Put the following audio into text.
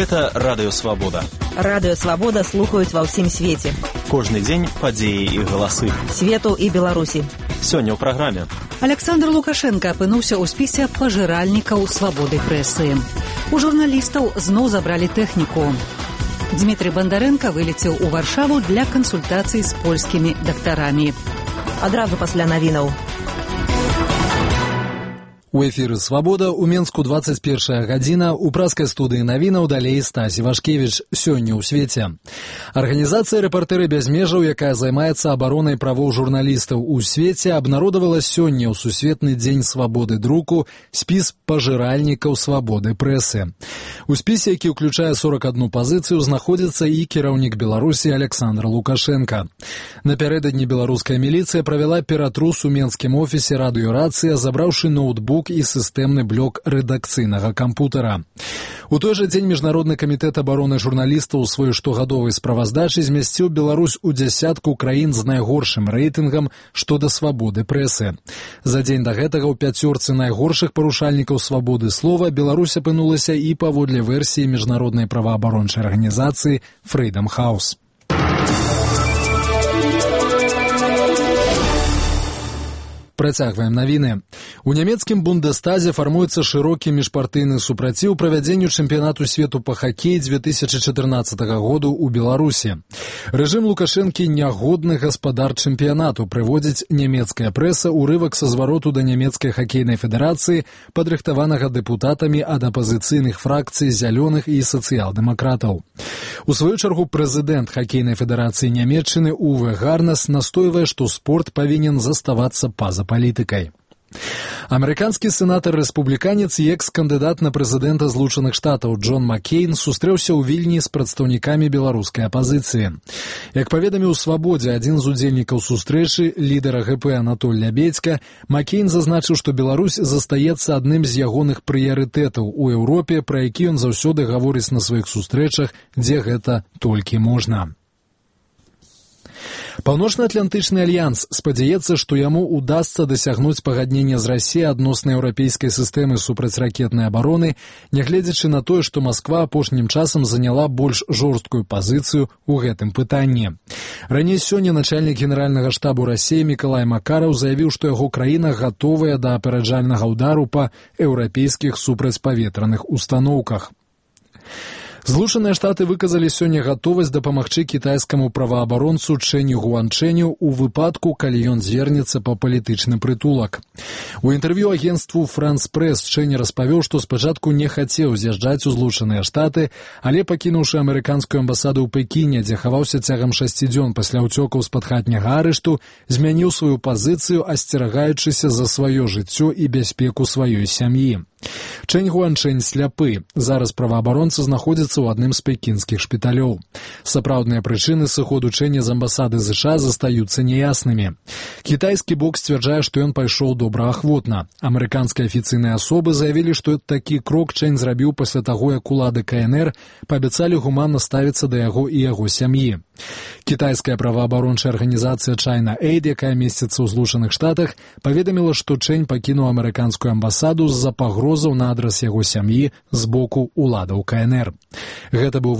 Гэта Радыё Свабода. Радыё Свабода слухаюць ва ўсім свеце. Кожны дзень падзеі і галасы. Свету і Беларусі. Сёння ў праграме. Александр Лукашенко апынуўся ў спісе пажыральнікаў свабоды прэсы. У журналістаў зноў забралі тэхніку. Дмітрий Бандаренко вылецеў у Варшаву для кансультацый з польскімі дактарамі. Адразу пасля навінаў. У эфіры «Свабода» у Менску 21 гадзіна, у праскай студыі навінаў далей Стась Івашкевіч. Сёння ў свеце. Арганізацыя «Рэпартэры без межаў», якая займаецца абаронай правоў журналістаў у свеце, абнародавала сёння ў Сусветны дзень свабоды друку спіс пажыральнікаў свабоды прэсы. У спісе, які ўключае 41 пазіцыю, знаходзіцца і кіраўнік Беларусі Александр Лукашенко. Напярэдадні беларуская міліцыя правяла ператрус у менскім офісе радыёрацыя, забраўшы ноутбук і сістэмны блок рэдакцыйнага кампутара. У той жа дзень Міжнародны камітэт абароны журналістаў у сваёй штогадовай справаздачы змясціў Беларусь у дзясятку краін з найгоршым рэйтынгам што да свабоды прэсы. За дзень да гэтага ў пяцёрцы найгоршых парушальнікаў свабоды слова Беларусь апынулася і паводле версіі міжнароднай праваабарончай арганізацыі Freedom House. Працягваем навіны. У нямецкім Бундестазе фармуецца шырокі міжпартыйны супраціў правядзенню чэмпіянату свету па хакеі 2014 году ў Беларусі. Рэжым Лукашэнкі нягодны гаспадар чэмпіянату, прыводзіць нямецкая прэса урывак са звароту да нямецкай хакейнай федэрацыі, падрыхтаванага дэпутатамі ад апазіцыйных фракцый зялёных і сацыял-дэмакратаў. У сваю чаргу прэзідэнт хакейнай федэрацыі Нямецчыны Уве Гарнес настойвае, што спорт павінен заставацца па-за палітыкай. Амерыканскі сенатар-рэспубліканец і экс-кандыдат на прэзідэнта Злучаных Штатаў Джон Маккейн сустрэўся ў Вільні з прадстаўнікамі беларускай апазіцыі. Як паведаміў «Свабодзе» адзін з удзельнікаў сустрэчы, лідара ГП Анатоль Лябедзька, Маккейн зазначыў, што Беларусь застаецца адным з ягоных прыярытэтаў у Еўропе, пра які ён заўсёды гаворыць на сваіх сустрэчах, дзе гэта толькі можна. Паўночна-атлантычны альянс спадзяецца, што яму удасца дасягнуць пагаднення з Расіяй адносна еўрапейскай сістэмы супрацьракетнай абароны, нягледзячы на тое, што Масква апошнім часам заняла больш жорсткую пазіцыю ў гэтым пытанні. Раней сёння начальнік генеральнага штабу Расіі Мікалай Макараў заявіў, што яго краіна гатовая да апярэджальнага ўдару па еўрапейскіх супрацьпаветраных устаноўках. Злучаныя Штаты выказалі сёння гатовасць дапамагчы кітайскаму праваабаронцу Чэню Гуанчэню ў выпадку, калі ён звернецца па палітычны прытулак. У інтэрв'ю агенцтву «Франс Прэс» Чэнь распавёў, што спачатку не хацеў з'язджаць у Злучаныя Штаты, але, пакінуўшы амерыканскую амбасаду ў Пекіне, дзе хаваўся цягам 6 дзён пасля ўцёкаў з-пад хатняга арышту, змяніў сваю пазіцыю, асцерагаючыся за сваё жыццё і бяспеку сваёй сям'і. Чэнь Гуанчэнь сляпы. Зараз праваабаронца знаходзіцца ў адным з пекінскіх шпіталёў. Сапраўдныя прычыны сыходу Чэня з амбасады США застаюцца няяснымі. Кітайскі бок сцвярджае, што ён пайшоў добраахвотна. Амерыканскія афіцыйныя асобы заявілі, што такі крок Чэнь зрабіў пасля таго, як улады КНР паабяцалі гуманна ставіцца да яго і яго сям'і. Кітайская праваабарончая арганізацыя China Aid, якая месціцца ў Злучаных Штатах, паведаміла, што Чэнь пакінуў амерыканскую амбасаду з-за пагрозаў на адрас яго сям'і з боку уладаў КНР. Гэта быў